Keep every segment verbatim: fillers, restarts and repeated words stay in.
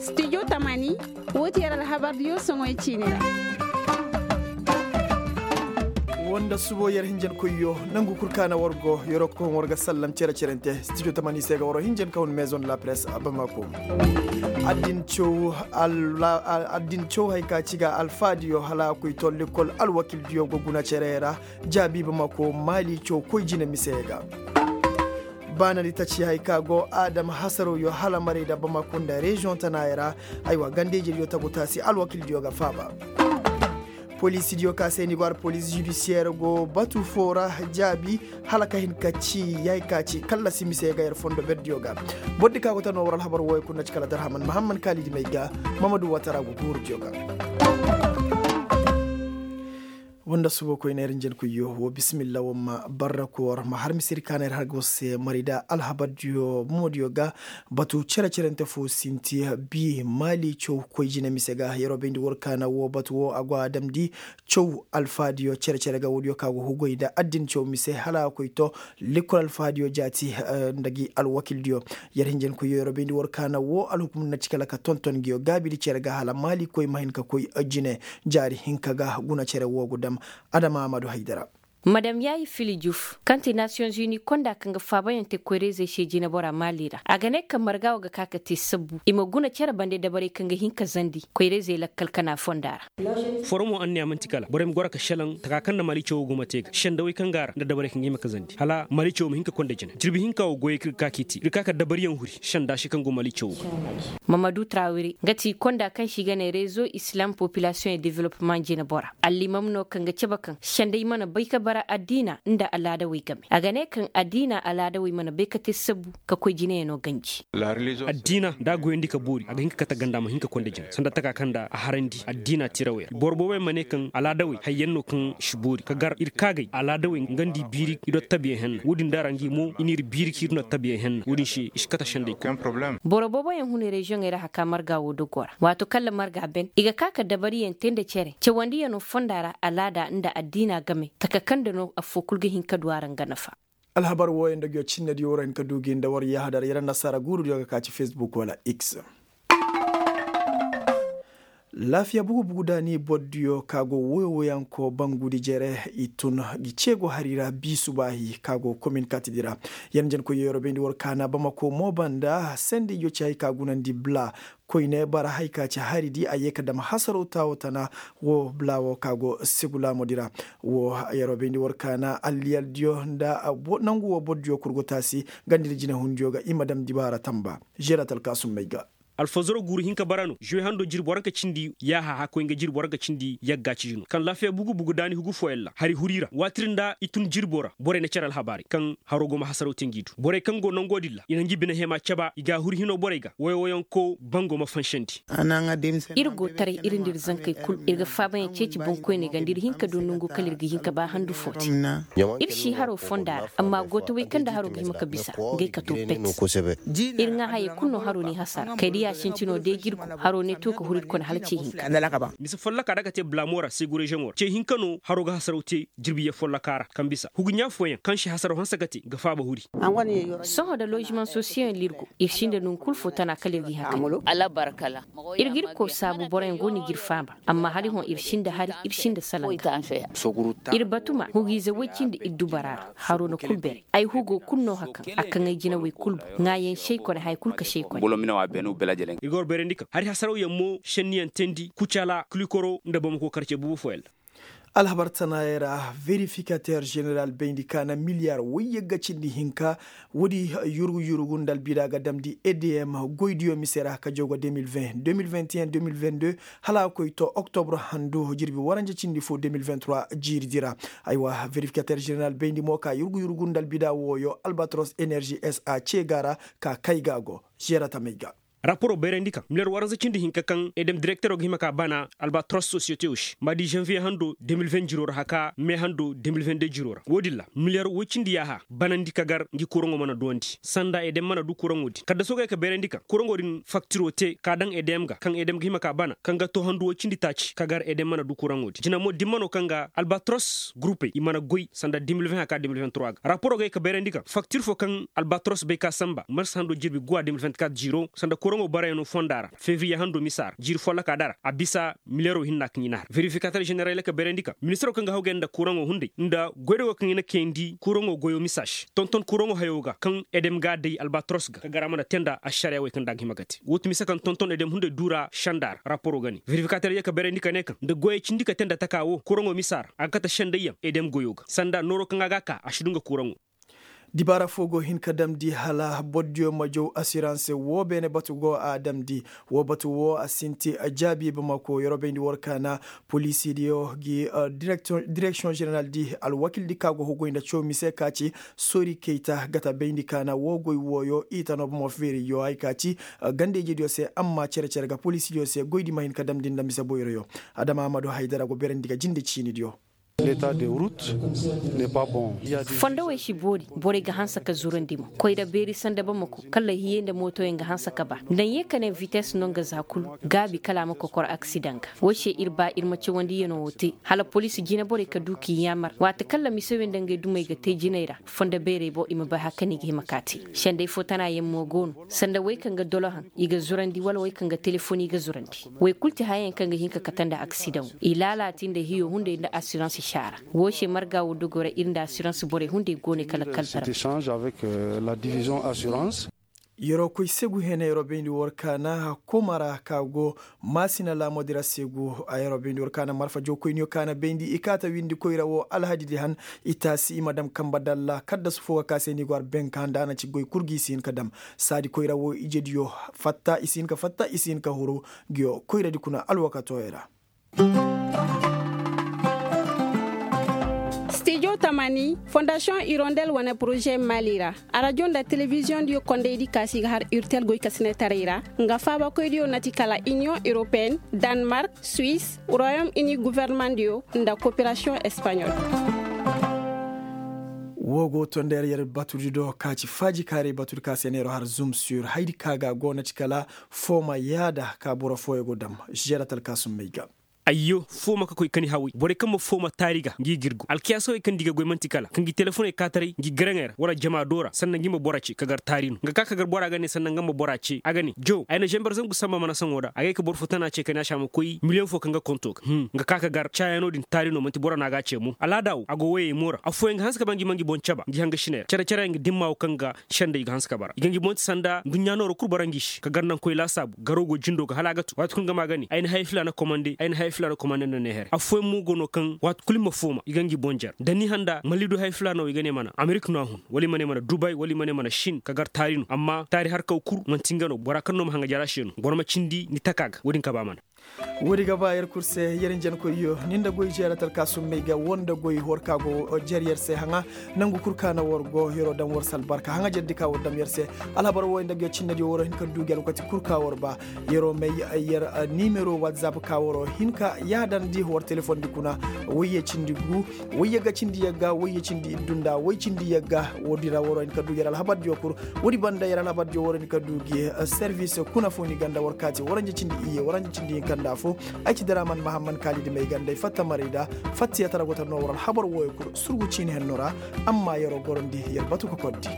Studio tamani, woo ti yer alhabardiyo soŋoy ciini ra. Woo nda subo yer hinjankoyyo, nangu kul ka na war go yeroo kokoŋ war ga sallam cere-cerante studio tamani se ga waroo hinjan ka hun maison de la presse bamako. Addin caw hay ka ci ga alfaadiyo hala a koy to lekkol alwakildiyo go guna cere ra. Jaabi bamako maali caw koy jine mise ga. Baanadi taci hay ka go adama hasarawyo hala maray nda bamako nda reziyoŋ tanaayey ra. Aywa gandey jediyo tagu taasi alwakildiyo ga faaba. Poliisidiyo ka se ni go har poliisi judisiyer go batu foo ra. Jaabi hala ka hin ka ci ya hay ka ci kallasi mise ga yer fondo berdiyo ga. Bordi ka go ta no war alhabar wooyo kul na ci kala darhaman mahamman kaalidi may ga. Mamadu watara go guurudiyo ga. Woo nda subo koyne ir njenkoyyo woo bisimilla woo ma barra koor ma har misedi ka na ir har ga war se mari nda alhabardiyo bomodiyo ga. Batu cere-cerente foo sinti bii maali caw koy jine mise ga yeroo bayndi war ka na woo batu woo a go a damndi. Caw alfaadiyo cere-cere ga woodiyo ka go hugoy nda addin caw mise hala a koy to lekkol alfaadiyo jaati nda gi alwakildiyo. Yer hinjankoyyo yer bayndi war ka na woo alhukum na ci kala ka tonton nguyo gaabidi cere ga hala maalikoy ma hin ka koy jine. Jaari hinka ga guna cere woo go dam. Adama amadu haydara. Madam yaayi fili juf kaŋ ti nasiyoŋ zuni konda kaŋ ga faabayaŋ te koyra-izey se jinebora maali ra a ga ne kaŋ marga wo ga ka ka te sabbu i ma guna cere bande dabarey kaŋ ga hin ka zandi koyra-izey lakkal kana fonda ra. Foro mo anniya man'ti kala borey ma goro ka šelaŋ taka kaŋ nda maali cawo go ma te ga sendawey kaŋ go a ra nda dabarey kaŋ ga hima ka zandi hala maali cawo ma hin ka konda jine jirbi hinka wo goyey kaŋ ga ka k'i te ir ga ka ka dabariyaŋ huri senda se kaŋ go maali cawo ga. Mamadu trawiri nga ti konda kaŋ se i ga ne rezo islam popilasiyoŋ e development jinebora allimam no kaŋ ga cabe kaŋ sendey mana bay ka bara addiina nda alaadawey game a ga ne kaŋ addiina alaadawey mana bay ka te sabbu ka koy jineyaŋo ganji. Addiina nda a goyandi ka boori a ga hin ka kate ganda ma hin ka konda jine sanda taka kaŋ nda a harandi addiina tirawey ra boro boobey ma ne kaŋ alaadawey hayyaŋ no kaŋ si boori ka gar ir kaagay alaadawey nga nda i biiri i do tabiyaŋ henna wo-din da ra ngi mo i n'ir biiri ka ir no tabiyaŋ henna wo-din se i si kate sendey kul. Boro booboyaŋ hun reziyoŋey ra haka marga wo dogo ra waato kalla marga ben i ga ka ka dabariyaŋ te nda cere cawandiyano fonda ra alaada nda addiina game taka kaŋ nda no affoo kul ga hin ka du a ra nga nafa. Alhabar wooyaŋ nda nguyo cinnediyo war hin ka du gi nda war yaahadar yer annasaara guurudiyo ga ka ci fesbuk wala x. Laafiya bugu bugu daani bordiyo ka go woy woyanko bangudi jere i tun gi ceego hari ra bi subaahi ka go komin katidi ra. Yer njenkoyyo yer bayndi war kaana bamako mo banda sendey yo ci hay ka gunandi bla koyne bara hay ka ci haridi a ye ka dam hasaraw taawo tana. Wo bla wo ka go segulaamodi ra wo yer bayndi war kaana alliyaldiyo nda nangu wo bordiyo kul go taasi gandidi jinehundiyo ga i ma dam dibaara tamba. Žerat alkaasum may ga. Alfazaro guuru hinka bara no žuwe hando jirbi waranka cindi yaaha hakkoy nga jirbi waranka cindi yagga ciji no kaŋ laafiya bugu bugu daani hugu fooyaŋ ra hari huri ra waatiri nda i tun jirbo ra borey na care alhabaarey kaŋ haro go ma hasaraw te ngi du borey kaŋ go nangoo din ra i na ngi bine hema caba i ga a huri hinoo borey ga woyowoyanko bango ma fansandi. Ir go taray ir nda ir zankey kul ir ga faabayaŋ ceeci boŋkoyney ga nda ir hin ka du nongu kala ir ga hin ka ba handu fo te. Ir si haro fonda ra amma gootawey kaŋ nda haro ga hima ka bisa ngey ka to pet. Ir ŋaa hayey kul no haro n'i hasara kay da ya sintinoo day ga ir go haro ne to ka huru ir kone hala ce hinka. Mise folloka da ka te blamo ra segu reziyoŋo ra ce hinka no haro ga hasaraw te jirbiye folloka ra kaŋ bisa hugu ɲaa fooyaŋ kaŋ si hasaraw hanse ka te ga faaba huri. Sohõ nda lozimaŋ sosiyoŋ ra ir go ir sinda nongu kul fo tana kala ir g'i hakay. Ir g'ir koo saabu boroyaŋ go no i g'ir faaba amma hari hõ ir sinda hari ir sinda salanga. Ir batuma hugiize woy cindi ir dubara ra haro na kul bere ay hugo kul no hakaŋ a kaŋ ay jinawey kul bu ŋaayaŋ sey kone haya kul ka sey kone. Ir ga war beerandi kaŋ hari hasarawyaŋ mo šenniyaŋ teendi kucala kulikoro nda bamako karce bubu fooyaŋ ra. Alhabar tanaayey ra verifikater ženeral bayndi ka na miliyar woy yagga cindi hinka. Woodi yurgu yurgu nda albida ga damndi edm goydiyo mise ra ka jawga deux mille vingt deux mille vingt et un deux mille vingt deux hala a koy to oktobro handu jirbi waranja cindi fo deux mille vingt trois jiiridi ra. Aywa verifikater ženeral bayndi mo ka yurgu yurgu nda albida wooyo albatros enerzi s a cee ga ra ka kay ga go. Žeera tamey ga. Raporo bayrandi kaŋ milyar waranza cindi hinka kaŋ edem direktero ga hima ka bana albatros sosiyete wo se ma di zanviye hando de mil ven jiro ra haka me hando de mil ven de jiro ra wo- din ra milyar woy cindi yaaha banandi ka gar ngi kuraŋo mana duwandi sanda edem mana du kuraŋo din kaddaso ga ye ka bayrandi kaŋ kuraŋo din faktiro te ka daŋ edem ga kaŋ edem ga hima ka bana kaŋ ga to handu woy cindi taaci ka gar edem mana du kuraŋo din jina mo dimma no kaŋ ga albatros gurupe i mana goy sanda de mil ven haka de mil ven trois ga raporo ga ye ka bayrandi kaŋ faktir fo kaŋ albatros bay ka samba marsa hando jirbi guwa de mil ven quatre jiro sanda kuraŋo barayaŋo fonda ra febriye hando misa ra jiiri folloka dara a bisa miliyaro hinna kaŋ i na har verifikater ženeral ka bayrandi kaŋ ministiro kaŋ ga hawgay nda kuraŋo hunday nda goydogo kaŋ i na kayandi kuraŋo goyo misa se tonton kuraŋo hayo ga kaŋ edem ga a day albatros ga ka gar a mana te nda ašariya wey kaŋ nda a ga hima ga te woo ti mise kaŋ tonton edem hunday duura senda ra raporo ga ne verifikater ye ka bayrandi ka ne kaŋ nda goyey cindi ka te nda taka wo kuraŋo misa ra a ga kate sendayyaŋ edem goyo ga sanda nooro kaŋ a ga a ka a si du nga kuraŋo. Dibaara fo go hin ka damndi hala bordiyo ma jaw asirans woo beene batu go a damndi. Woo batu woo a sinti jaabi bamako yeroo bayndi war kaana poliisidiyo gi direksiyoŋ ženeral di alwakildi ka go huguy nda caw mise ka ci soori kayta gata bayndi kaana woo goy wooyo i ta no bomo feeriyo hay ka ci ganda-ijediyo se amma cere-cere ga poliisidiyo se goydi ma hin ka damndi nda mise boyroyo. Adama amadu haydara go berandi ga jinde ciinidiyo. Fondowey si boori borey ga hanse ka zurandi mo koyra beeri sanda bamako kala hiyey nda mootoyaŋ ga hanse ka ba nda ye ka ne vites no nga za kulu gaabi kala a ma kokor aksidaŋ ga. Woy se ir ba ir ma cawandiyano wo te hala poliisi jinaborey ka du k'i yaamar waati kala misewey nda ngey dumey ga te jiney ra fondo beerey boŋ i ma bay hari kaŋ i ga hima ka te. Sendey fo tanayaŋ mo go no sanda wey kaŋ ga dolohaŋ i ga zurandi wala wey kaŋ ga telefoni i ga zurandi. Wey kulu ti hayayaŋ kaŋ ga hin ka kate nda aksidaŋo i laalaati nda hiyo hunday nda asirans saara. Woo se marga woo dogoo ra ir nda asirans borey hunday go ne kala kalbarma. Yeroo koy segu hene yeroo bayndi war kaana koma ra ka go maasina laamoodi ra segu. Yeroo bayndi war kaana marfa jawkoyniyo kaana bayndi i kaata windi koyra woo alhadidi han i taasi i ma dam kamba dalla kaddasu fo ga ka se ni go har benka nda a na ci goy kul ga i si hin ka dam. Saadi koyra woo ijediyo fatta i si hin ka fatta i si hin ka huru. Ngiyo koyradi kuna alwakatooyo ra. Stijo tamani fondasiyoŋ irondel wane poroze mali ra. Arajo nda telebiziyoŋ diyo kondaydi kaasi ga har urtel goykasinatarey ra nga faabakoydiyo na ti kala iniyoŋ europeen, danmark, suwis, royom ini gofornamaŋ diyo nda koperasiyoŋ espaɲol. Woo go to nda yer yer batudi do ka ci faajikaaray batudi ka se neero har zum sur haydi ka ga go na ci kala fooma yaada ka boro fooyo go dam. Žeera talkaasum may ga. Ayyo fooma ka koy kani haway borey kaŋ ma fooma taari ga ngi girgo alkiyaasawey kaŋ di ga goy man'ti kala ka ngi telefoney kaataray ngi garaŋey ra wala jama do ra sanna ngi ma bora ce ka gar taari no nga ka ka gar bora ga ne sanna nga ma bora ce a ga ne jow ay na zamber zangu samba mana saŋo da a gay ka boro fo tana ce kani a se a ma koy miliyoŋ fo kaŋ ga konto ga nga ka ka gar caayaano din taari no man'ti bora no a ga a ce mo al'aada wo a go woyey mo ra affooyaŋ ga hanse ka ba ngi ma ngi boŋ caba ngi hangasiney ra care care yaŋ ga dimma wo kaŋ ga sendey ga hanse ka bara i ga ngi boŋ ti sanda nduɲɲa nooro kul bara ngi se ka gar naŋ koy laasaabu garo go jindo ga hala a ga tu waati kul nga ma a ga ne ay na haya filaana komande ay na haya filaana komande nda ne here affooyaŋ mo go no kaŋ waati kul i ma fooma i ga ngi boŋ jer da ni handa malidu haya filaana wo i ga ne mana amerik no a hun wala i ma ne mana dubay wala i ma ne mana sin ka gar taari no amma taari harkaw kul man'ti nga no bora kaŋ no ma hanga jara se no boro ma cindi ni taka ga wo- din ka ba mana. Woodi ga ba yer kul se yer njankoyyo ni nda goy jeeratal ka summey ga woo nda goy war ka go jer yer se haŋa. Nangu kul ka na war go yeroo daŋ war se albarka haŋajerdi ka war daŋ yer se. Alhabar wooyo nda goy cinnediyo waroo hin ka du gi alwakati kul ka war ba yeroo may yer nimero watzap ka waroo hin ka yaadandi war telefondi kuna. Wayye cindi gu wayye ga cindi yagga wayye cindi iddu nda way cindi yagga. Woodi ra waroo hin ka du yer alhabardiyo kul. Woodi banda yer alhabardiyo waroo hin ka du gi servis kuna fo ni ganda war kaati waranje cindi iyye waranje cindi hinka nda fo. Ay ci daraman mahamman kaalidi may ganda ay fatta marayda. Fatta yatara go ta no war alhabar wooyo kul surgu ciini henno ra. Amma yeroo gorondi yer batu kokordi.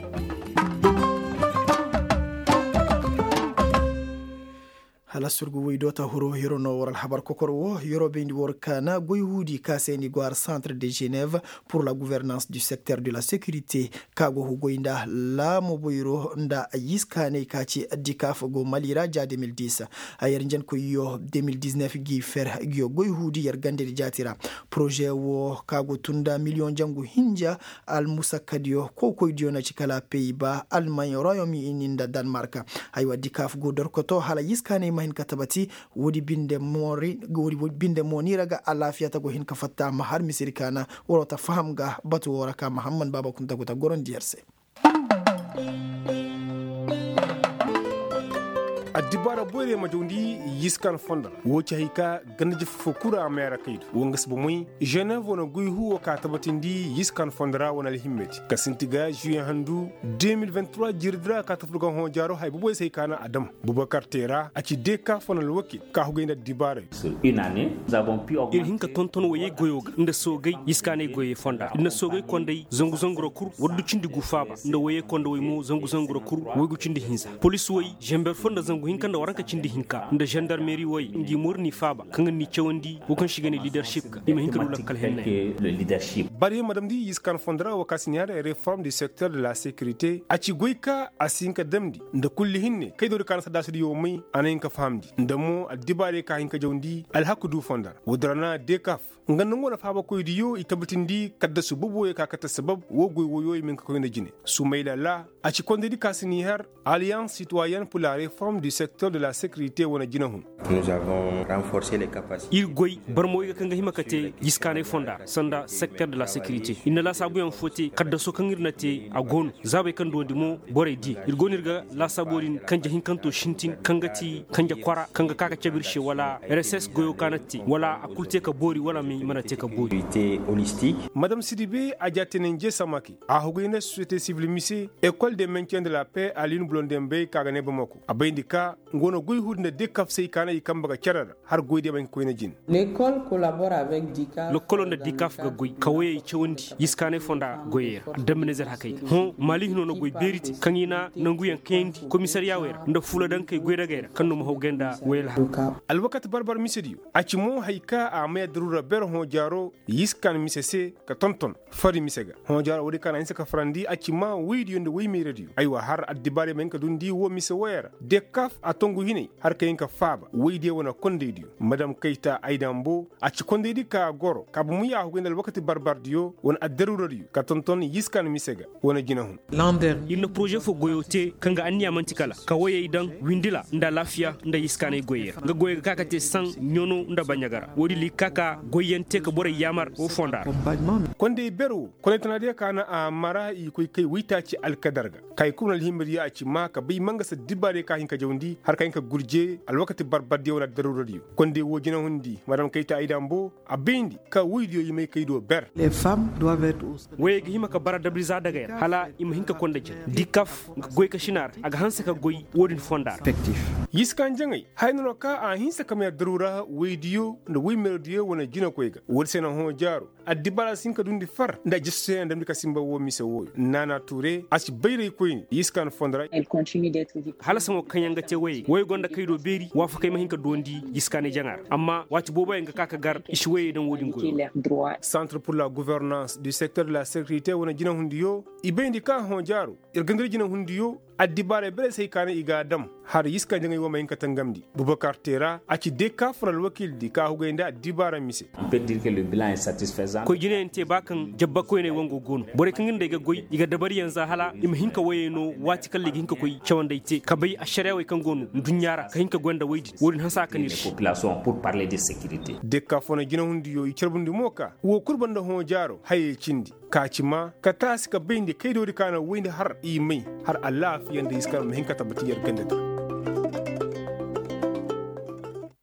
Hala surgu woy do ta huro yeroo no war alhabar kokor woo yeroo bayndi war kaana goy huudi ka se ni go har centre de genève pour la gouvernance du secteur de la sécurité. Ka go hugoy nda laamo boyro nda yiskaanay ka ci dikaf go mali ra ja deux mille dix. Yer njankoyyo deux mille dix-neuf gi fer gi yo goy huudi yer gandedi jaati ra. Poroze woo ka go tun nda miliyoŋ jangu hinja almusakkadiyo kokoydiyo na ci kala pey ba almaaɲ royom ini nda danmark. Haywa dikaf go dorkoto hala yiskaanay ma hin ka tabati. Woodi binde mo ni ra ga alaafiya ta go hin ka fatta ma har misiri kaana. Waroo ta faham ga batu woo ra ka mahamman baaba kunta go ta gorondi yer se. Addibaara boyra ma jawndi yiskan fondo ra woo ci hay ka ganda jefe foo kul ra a mayra kaydu woo nga si bomoy. Ženev wane goy huu woo ka tabatindi yiskan fondo ra wane alhimmedi ka sinti ga žuwiyeŋ handu. De mil vingt trois jiiridi ra ka tafur ga hõo jaaro haya boboy se hay ka na a dam. Bubakar teera a ci deekaaf wane alwakil ka hugay nda addibaarey. Ir hin ka tonton woyey goyoo ga nda soogey yiskaaney goyey fonda ir na soogey konday zangu zangu ra kul. War du cindi gu faaba nda woyey konda woy mo zangu zangu ra kul woy gu cindi hinza. Polis woy zember fo nda zangu hinka nda waranka cindi hinka nda zendarmeri woy ngi moori n'i faaba kaŋ ir n'i cawandi woo kaŋ se i ga ne lideršip ga i ma hin ka du lakkal henney. Barey ma damndi yiskan fondo ra woo ka si ni har reform du sekter de la sekirite a ci goy ka a si hin ka damndi nda kulli hinne kaydoodi ka na saddaasidiyo may. A na hin ka fahamndi nda mo addibaarey ka hin ka jawndi alhaku du fondo ra woodi ra na deekaaf nga nda nga wane faabakoydiyo i tabbatindi kaddasu boboyo ka kate sabab woo goy woyo i ma hin ka koy nda jine. Sumayla laa a ci kondaydi ka si ni har aliyans sitoyen pur la reform du sekter de la sekirite wane jinahun. Ir goy barmawey ga kaŋ ga hima ka te jiskaanay fonda ra sanda sekter de la sekirite ir na laasaabuyaŋ foo te kaddaso kaŋ ir na te a go no. Zaabey kaŋ duwandi mo borey di ir go no ir ga laasaabuyo din kanje hinkanto sintin kaŋ ga ti kanje kwara kaŋ ga ka ga cabe ir se wala reses goyo ka na te wala a kul te ka boori wala i mana te ka boori. Madam sidibe a jaateenanje samake a hugay nda sosiyete sibil mise ekol de mentien de la pe a liin bulondembey ka ga ne bamako a bayndi ka nga wane goy huudi nda dikaf se i kaana i kambe ga cere ra har goydiyo ma hin ka koyne jine. Lekolo nda dikaf ga goy ka woyey cawandi yiskaanay fonda goyey ra damminezer hakey ga hõ maali hino na goy beeri te kaŋ i na nanguyaŋ kayandi komisariyaawey ra nda fuuladankey goydagey ra kaŋ no ma hawgay nda woyey alhakey. Alwakati barbar misediyo a ci mo hay ka a may addaruura ber hõ jaaro yiskaan mise se ka tonton fari mise ga hõ jaaro woodi kaŋ a na hinsa ka farandi a ci ma woydiyo nda woymeeradiyo aywa har addibaarey ma hin ka dundi woo mise woyey ra dekaf a tongu hinay har ka hin ka faaba woydiyo wane kondaydiyo madam kayta ay dambo a ci kondaydi ka goro ka bomo ya a hugay nda alwakati barbardiyo wane addaruuradiyo ka tonton yiskaan mise ga wane jinahun. Ir na poroze fo goyo te kaŋ ga anniya man'ti kala ka woyey daŋ windila nda alaafiya nda yiskaanay goyey ra nga goyey ga ka ka te saŋ ɲono nda baɲaga ra woodin ra i ga ka ka goyyaŋ te ka borey yaamar woo fonda ra. Kondey ber woo kondey tanaadiyo ka na a mara i koy kay woytaaci alkadar ga ka i kul wane alhimadiyo a ci maa ka bay mangasa dibaarey ka hin ka jawndi har ka hin ka gurje alwakati barbardiyo wane addaruuradiyo. Kondey woo jinahundi madam kayta ay dambo a bayndi ka woydiyo i may kay do ber. Woyey ga hima ka bara dabri za dagey ra hala i ma hin ka konda jin dikaf nga goy ka sina ra a ga hanse ka goy woodin fonda ra. Yiskan jaŋay haya no no ka a hinsa ka may addaruura woydiyo nda woymeeradiyo wane jinakoy ga woodi se na hõ jaaro addibaara si hin ka dundi far nda a jeste se a damndi ka sinba woo mise wooyo naana tuure a si bayray koyne yiskan fondo ra. Hala saŋo kaŋ yaŋ ga te woyey woyey gonda kay do beeri waafakey ma hin ka duwandi yiskaanay jaŋa ra amma waati booboyaŋ ga ka ka gar i si woyey daŋ woodin goyo. Santre pur la guvernans du sekter de la sekirite wane jinahundiyo i bayndi ka hõ jaaro ir ganda ir jinahundiyo addibaarey berey se hay ka ne i ga a dam har yiskan jaŋay woo ma hin ka tangamndi bubakar teera a ci dee ka fun alwakiildi ka hugay nda addibaara mise. Koy jinayaŋ te ba kaŋ jabba koyney wango go no borey kaŋ ga nda ay ga goy i ga dabariyaŋ za hala i ma hin ka woyey no waati kala i ga hin ka koy cawandey te ka bay ašariyaawey kaŋ go no nduɲɲa ra ka hin ka goy nda woy din woodin hanse a ka no ir se. Dee ka fun jinahundiyo i carbundi mo ka woo kul banda hõ jaaro hayey cindi ka ci maa ka taasi ka bayndi kaydoodi ka na woyndi har i may har alaafiya nda iskar ma hin ka tabbati yer ganda di.